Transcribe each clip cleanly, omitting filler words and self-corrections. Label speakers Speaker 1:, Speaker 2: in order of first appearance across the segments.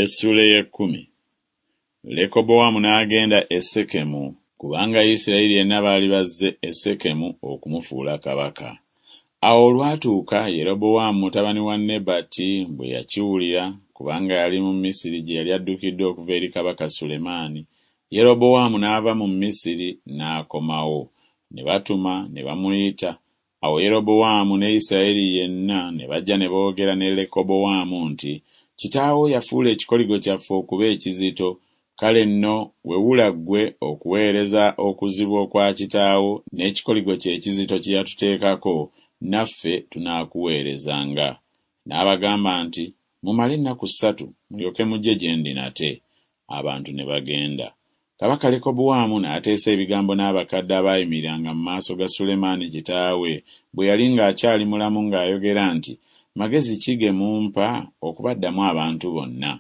Speaker 1: Essuula ey'ekkumi. Lekobowaamu n'agenda e Sekemu, kubanga Isirayiri yenna baali bazze e Sekemu okumufuula kabaka. Awo olwatuuka Yerobowaamu mutabani wa Nebati bwe yakiwulira, kubanga yali mu Misiri gye yali addukidde okuva eri kabaka Sulemaani, Yerobowaamu n'ava mu Misiri n'akomawo. Ne batuma ne bamuyita, Awo Yerobowaamu ne Isirayiri yenna ne bajja ne boogera ne Lekobowaamu nti Kitaawo yafuula ekikoligo kyaffe okuba ekizito, kale nno wewula ggwe okuweereza okuzibu okwa kitaawo n'ekikoligo kye ekizito kye yatuteekako, naffe tunaakuweerezanga. N'abagamba nti Mumale ennaku ssatu mulyoke mujje gye ndi nate. Abantu ne bagenda. Kabaka Lekobowaamu n'ateesa ebigambo n'abakadde abaayimiriranga mu maaso ga Sulemaani kitaawe bwe yali ng'akyali mulamu ng'ayogera nti Magezi ki ge mumpa okubaddamu abantu bonna?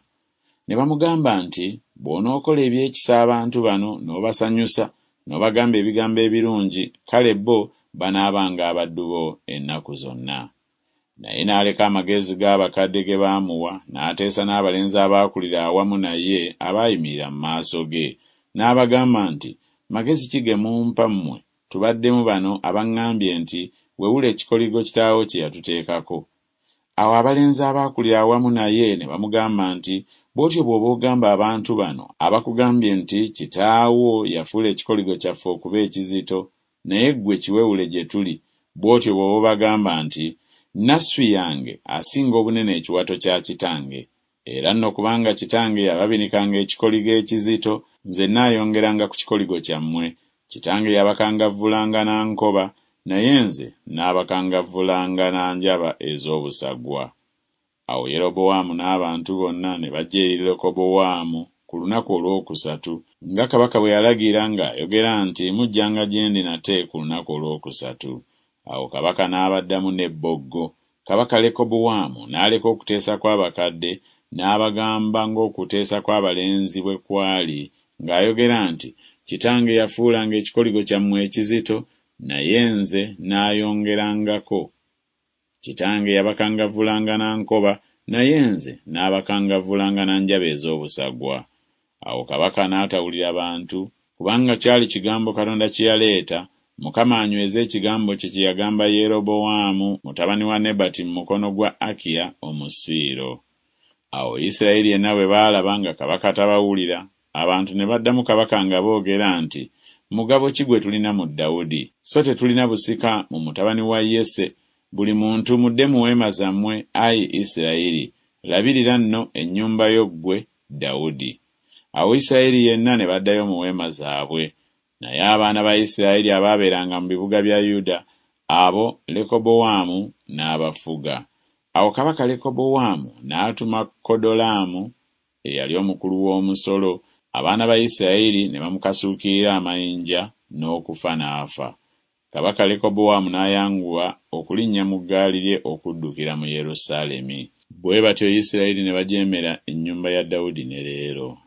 Speaker 1: Ne bamugamba nti Bw'onookola eby'ekisa abantu bano n'obasanyusa, n'obagamba ebigambo ebirungi, kale bo banaabanga abaddu bo ennaku zonna. Naye n'aleka amagezi g'abakadde ge baamuwa, n'ateesa n'abalenzi abaakulira awamu naye abaayimirira mu maaso ge, n'abagamba nti Magezi ki ge mumpa mmwe tubaddemu bano abaŋŋambye nti Wewula ekikoligo kitaawo kye yatuteekako? Awo abalenzi abaakulira awamu naye ne bamugamba nti Bw'otyo bw'oba ogamba abantu bano abakugambye nti Kitaawo yafuula ekikoligo kyaffe okuba ekizito, naye ggwe kiwewule gye tuli, bw'otyo bw'oba obagamba nti Nasswi yange asinga obunene ekiwato kya kitange. Era nno kubanga kitange yababinikanga ekikoligo ekizito, nze nnaayongeranga ku kikoligo kyammwe, kitange yabakangavvulanga na nkoba, naye nze nnaabakangavvulanga na njaba ez'obusagwa. Awo Yerobowaamu n'abantu bonna ne bajja eri Lekobowaamu ku lunaku olwokusatu, nga kabaka bwe yalagira ng'ayogera nti Mujjanga gye ndi nate ku lunaku olwokusatu. Awo kabaka n'abaddamu n'ebboggo. Kabaka Lekobowaamu n'aleka okuteesa kw'abakadde, n'abagamba ng'okuteesa kw'abalenzi bwe kwali ng'ayogera nti Kitange yafuulanga ekikoligo kyammwe ekizito, naye nze nnaayongerangako. Kitange yabakangavvulanga na nkoba, naye nze nnaabakangavvulanga na njaba ez'obusagwa. Awo kabaka n'atawulira bantu, kubanga kyali kigambo Katonda kye yaleeta, Mukama anyweze ekigambo kye kye yagamba Yerobowaamu mutabani wa Nebati mu mukono gwa Akiya Omusiiro. Awo Isirayiri yenna bwe baalaba nga kabaka tabawulira, abantu ne baddamu kabaka nga boogera nti Mugabo ki gwe tulina mu Dawudi? So tetulina busika mu mutabani wa Yese, buli muntu mudde mu weema zammwe, ai Isirayiri, labirira nno ennyumba yo ggwe, Dawudi. Awo Isirayiri yenna ne baddayo mu weema zaabwe. Naye abaana ba Isirayiri abaabeeranga mu bibuga bya Yuda, abo Lekobowaamu n'abafuga. Awo kabaka Lekobowaamu n'atuma Kodolaamu eyali omukulu w'omusolo, abaana ba Isirayiri ne bamukasuukirira amayinja, n'okufa n'afa. Kabaka Lekobowaamu n'ayanguwa okulinnya mu ggaali lye okuddukira mu Yerusaalemi. Bwe batyo Isirayiri ne bajeemera ennyumba ya Dawudi ne leero.